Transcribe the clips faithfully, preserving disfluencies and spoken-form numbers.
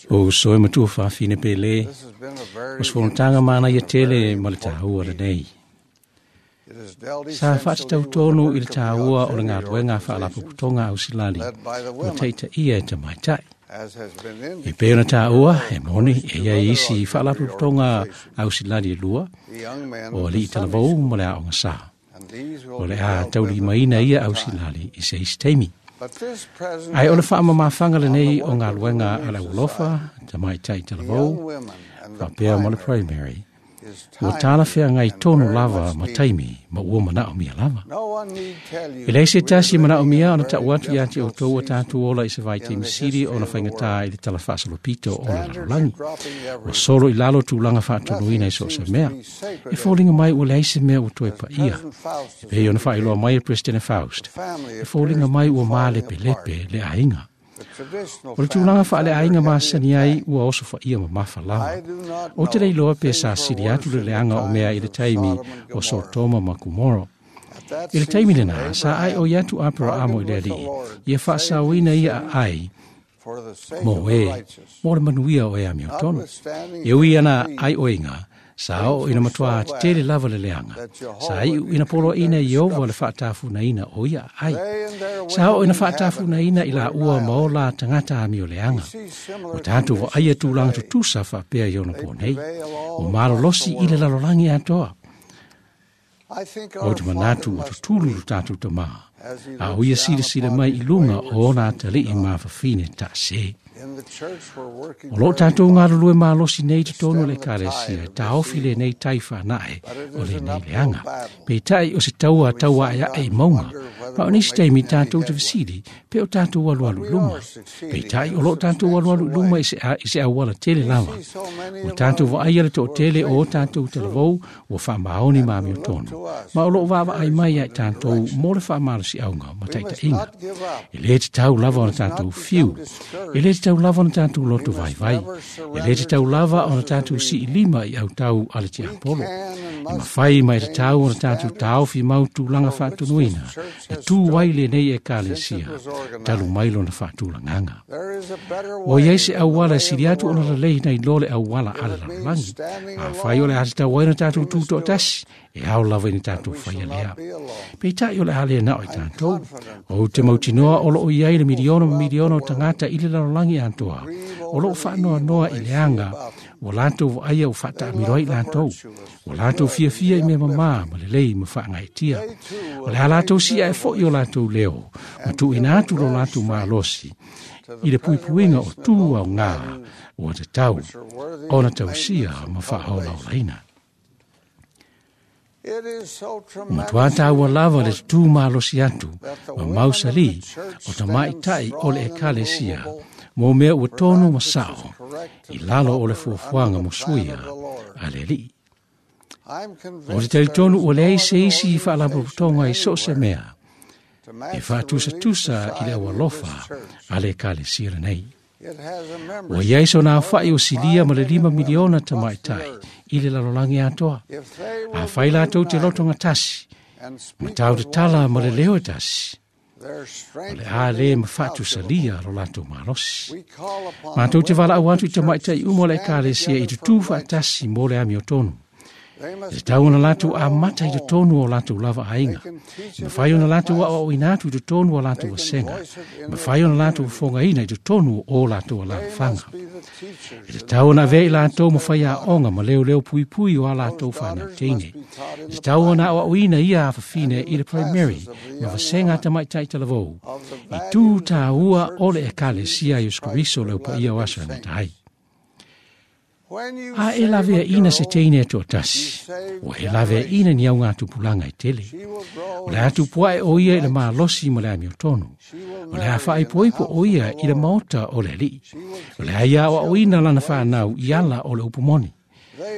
O soe matua whawhine pele, o sfonotaga mana ia tele ma le tāua le nei. Sa whaatatau tonu i le tāua o le ngā whaalapopotonga au silali, o teita ia e te maitai. E pē ona tāua, e moni, e ia isi whaalapopotonga au silali e lua, o ali i talavou ma le aonga sā. O le a tauli maina ia au silali i se isi teimi. Ai o le whaamamawhanga le nei o ngā luenga a le ulofa, te maitai talavou, whapea mo le primary, ua tāla whea ngai tonu lava ma taimi ma ua mana o mia lava. E lei se tasi mana o mia ona tau atu ia te o tō tātou ola i se vai te misiri o na whaingatā i le tala whaasalopito o le lalolagi. O solo i lalo tūlanga whaatonuina i so se mea. E fōlinga mai ua lei se mea ua toe pa ia. E pei ona whailoa mai e President Faust. E fōlinga mai ua maalepe lepe le ainga. O le tūlanga wha le ainga masani ai ua oso wha ia ma mawha lava. O te leiloa pe sa siri atu le leanga o mea i le taimi o Sotoma ma Kumoro. I le taimi lena, sa ai o iatu apera amo i le alii, ia whaasauina ia a ai, mō e, mō le manuia o e a miotono. E ui ana ai oinga, sa o ina matua te tele lava le leanga. Sa i ina polo ina i ova le whaatafuna ina o ia ai. Sa o ina whaatafuna ina i la ua maola tangata ami o leanga. O tātou wa aia tūlanga tutusa whaapea i ona pō nei. O malolosi i le lalolangi atoa. O te manatu o tutulu lu tātou te maha. A o ia sila sila mai i lunga o ona atali i mawhawhine ta se. O lo tātou ngā rulue malosi nei te tonu le kālesia, tā ofi le nei taiwha nae o le nei leanga. Pe tai o se taua taua ai ai maunga, ma o nisi taimi tātou te visiri, pe o tātou alu alu luma. Pe tai o lo tātou alu alu luma i se, a, i se awala tele lava. O tātou wa ai ale tō tele o tātou te lavou o wha maoni mā o tonu. Ma o lo wawa ai mai ai tātou mō le wha malosi aunga ma taita inga. E le te tau lava o tātou whiu. E le te tau lava ona tātou loto vai vai. E le te tau lava ona tātou si lima i au tau ale te apolo. E mawhai mai te tau ona tātou tāofi mau tūlanga whaatunuina. E tū waile nei e kālesia. Talu mailo na whaatūlanganga. O iei se awala siri atu ona lalei nei lole awala ala lalangi. A whai ole ate tau waina tātou tūto tasi. E au lava ina tātou whai alea. Pe tai ole alea na o i tātou. O te mautinoa o lo o iei le miliona ma miliona o tangata i le lalolangi antoa. O lo whaanoa noa i leanga. O lātou wa aia o whaatamiroi lātou. O lātou fia fia i me mamā ma le lei ma whaangaitia. O le a lātou sia e fo i o lātou leo. Ma tu ina atu lo lātou mālosi. I le puipuinga o tū au ngā o te tau. O na tau sia ma whaola o leina. Matua tāua lava le tū malosi atu, ma mausali o ta maitai o le ekalesia, mō mea ua tonu ma sao, i lalo o le fuafuanga mo suia a le lii. O te talitonu o leai se isi i whaalapopotonga i so se mea, e whaatusa-tusa i le awalofa a le ekalesia nei. O iai so nā whai o silia ma le lima miliona ta maitai i le lalolangi atoa. A whai lātou te lotonga tasi, ma tau te tala ma le leo tasi. O le a le ma whatu salia ro lātou malosi. Mātou te wala au atu i ta maitai umo le ekalesia i te tū tasi mō le ami o tonu. E te tau ona lātou a mata i te tonu o lātou lava ainga. E mawhai ona lātou a o inatu i te tonu o lātou asenga. E mawhai ona lātou whongaina i te tonu o lātou a lāwhanga. E te tau ona vei lātou mawhai a onga ma leo leo pui pui o a lātou whanau teine. E te tau ona o auina ia a whawhine i le primary ma wasenga ta maitai talavou. I tū tā ua o le ekalesia i uskuriso leo pa ia o asa ngata ai. A e lavea ina se teine e tasi. O e lavea ina ni au ngā tupulanga i tele. O le atu puae o ia i le malosi ma le ami o tonu. O le a whaaipoipo o ia i le maota o le alii. O le aia o o ina lana whanau i ala o le upumoni.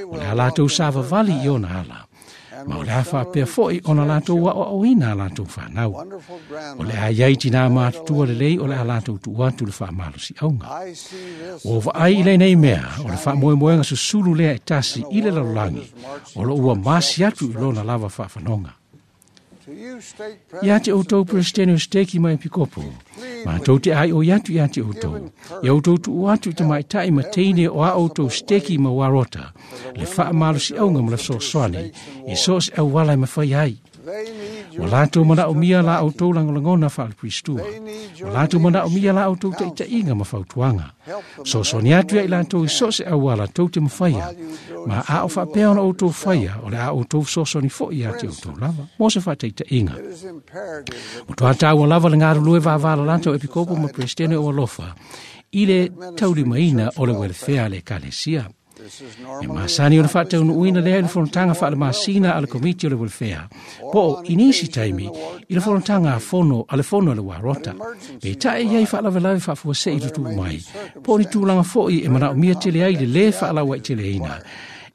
O le a lātou sāvavali i ona ala. Ma o le a whaapea foi ona lātou wa o o ina a lātou whanau. O le a iai tina mātutua le lei o le a lātou tuatu le whaamalosi aunga. O vaai i le nei mea, o le whaamoemoenga susulu lea e tasi i le lalolangi, o lo ua masi atu i lona lava whaawhanonga. Ia te outou Presidente o Steki mai Pikopo, Mātou te ai o iatu ia te outou. Ia outou tuu atu i te maitai ma teine o a outou steki ma warota. Le whaamalosi aunga ma le sosoani. E so se au wala e mawhai ai. O lātou mana o mia la outou langolangona whaale-pristua. O lātou mana o mia la outou taitainga ma fautuanga. Sosoani atu ia i lātou i so se au wala tou te mawhaia. Ma a o whaapea ona outou whaia o le a outou sosoani fo ia te outou lava. Mo se whaataitainga. O toa tāua lava le ngarulue vāvāla lātou epikopo ma presidente o alofa. I le taulimaina o le welfare le ekalesia. E masani o le whaataunuuina lea i le fonotaga faalemasina a le komiti o le welfare. Po o inisi taimi i le fonotaga a fono a le fono a le warota. Pe tae iai faalavelave faafuasei tutuu mai. Po o ni tulaga fo'i e manaomia tele ai le lē faalauai teleina.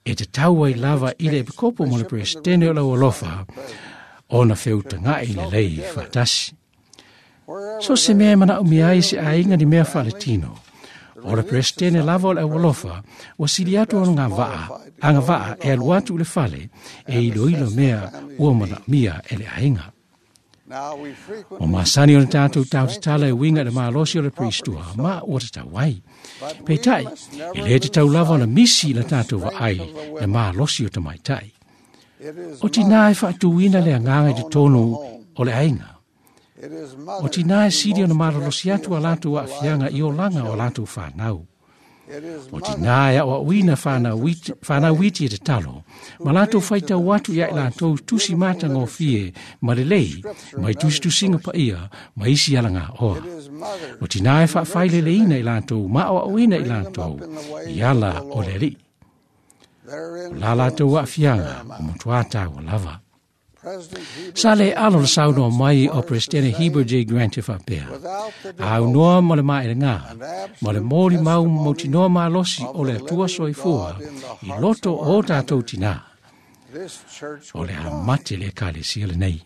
E te tau ai lava i le epikopo mo le presidente o lau alofa ona feutaga'i lelei faatasi. So se mea e manaomia ai se aiga ni mea faaletino. O le presidente lava o le aualofa, ua sili atu ona ngā vaa, anga vaa e alu atu i le fale, e iloilo mea ua manaomia e le aiga. O masani o le tātou tautatala e winga i le malosi o le pristua, ma ua tatau ai. Peitai, e le te tau lava ona misi i le tātou vaai le malosi o tamaitai. O tina e faatuina le agaga i totonu o le aiga. O tina e sili ona malolosi atu a latou aafiaga i olaga o latou fanau. O tina e aoaoina fanau iti e tatalo, ma latou faitau atu ia i latou tusi matagofie ma lelei, mai tusitusiga paia, ma isi alagaoa. O tina e faafaileleina i latou ma aoaoina i latou i ala o le Alii. O la latou aafiaga o matuā taua lava. Sa le alo le saunoa mai o Presidente Heber J. Grant e whapea. A unoa mo le maelenga, mo le mōri mau mautinoa malosi o le atua soifua i loto o tātou tina. O le a mate le ekalesia lenei.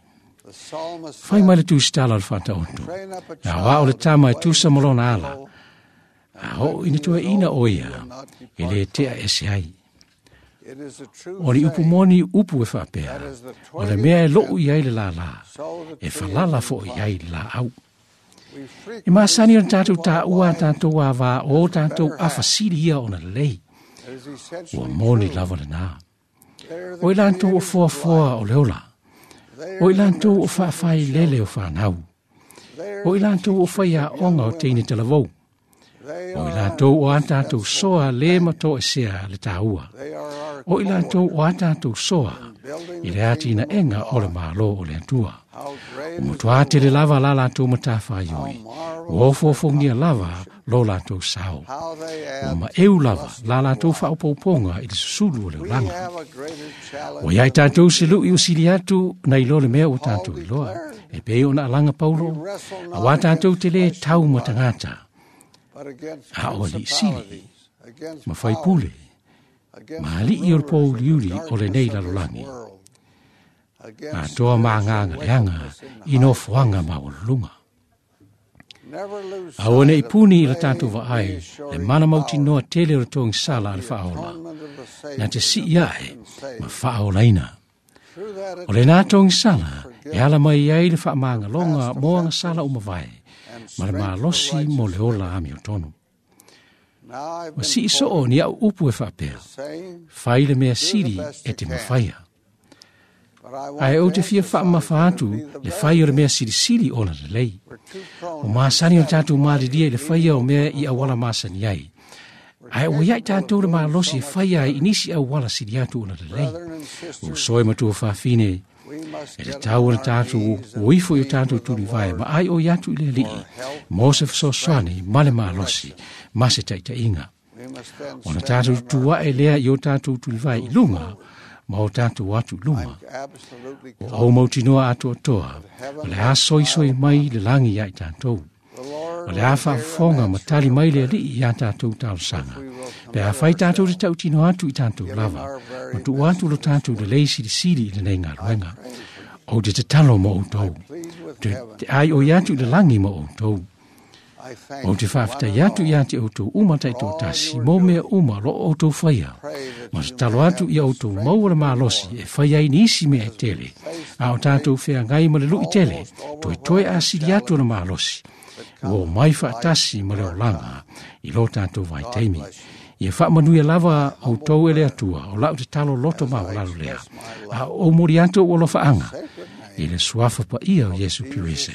Whai mai le tūsitala o le whataoto. Na wā o le tama e tusa molona ala. A o ina tua ina o ia, e le tea ese ai. O ni upu moni upu e whapea, o le mea e lou i ai le lala, e whalala fo i ai le la au. E masani o tātou tā ua tātou a wā o tātou awhasiri ia ona lei. Ua moni lava le nā. O i lātou o foafoa o le ola. O i lātou o whaawhai lele o whanau. O i lātou o whaia onga o teine talavou. O i lātou o a tātou soa le mato e sea le tāua. O i lātou o a tātou soa i le atina enga o le mālo o le atua. O mutua te le lava la lātou matawhaioi. O ofofongia lava lo lātou sao. O ma eu lava la lātou whaopauponga i le susulu o le olanga. O iai tātou se lui o sili atu na ilo le mea o tātou iloa. E pei ona alanga Paulo. A wā tātou te le tau matangata. A o li sili, ma whaipule, ma alii o le pōuliuli o le nei lalolangi. A toa maanganga leanga i nofoanga maualulunga. A o nei puni i la tātou vaai, le mana mautinoa tele o le togisala a le whaola. Na te sii ae ma whaolaina. O le nā togisala e ala mai ai le whaamaangalonga moanga sala o mavae, ma le malosi mo le ola ami o tonu. O sii soo ni au upu e whaapea, whai le mea siri e te mawhaia. Ae o te fia whaamafa atu le whai o le mea sirisiri ona le lei. O maasani o tātou maariria i le whaia o mea i awala maasani ai. Ae o iai tātou le malosi e whaia ai inisi awala siri atu ona le lei. O soe matua whawhine, e te tau o tātou o ifo i o tātou turivae ma ai o iatu i le alii, mō se fesoasoani ma le malosi, ma se taitainga. O na tātou tuae lea i o tātou turivae i lunga, ma o tātou atu luma. O au mautinoa atu atoa, o le a soisoi mai le langi ia i tātou. O le a whaafonga ma tali mai le alii i a tātou talosaga. Pe a whai tātou te tautino atu i tātou lava, ma tu atu lo tātou le lei sirisiri i le nei ngāluenga. O te te talo mo outou, te, te ai o i atu i le langi mo outou. Ou te faafetai atu ia te outou uma taitoatasi mo mea uma o lo o outou faia. Ma tatalo atu ia outou maua le malosi e fai ai nisi mea e tele, a o tatou feagai ma le luʻi tele, toetoe asili atu le malosi, ua omai faatasi ma le olaga i lo tatou vaitaimi. Ia faamanuia lava outou e le Atua, o lau tatalo loto maualalo lea, a o momoli atu ou alofaaga i le suafa paia o Iesu Keriso.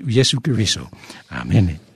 Iesu Keriso. Amene.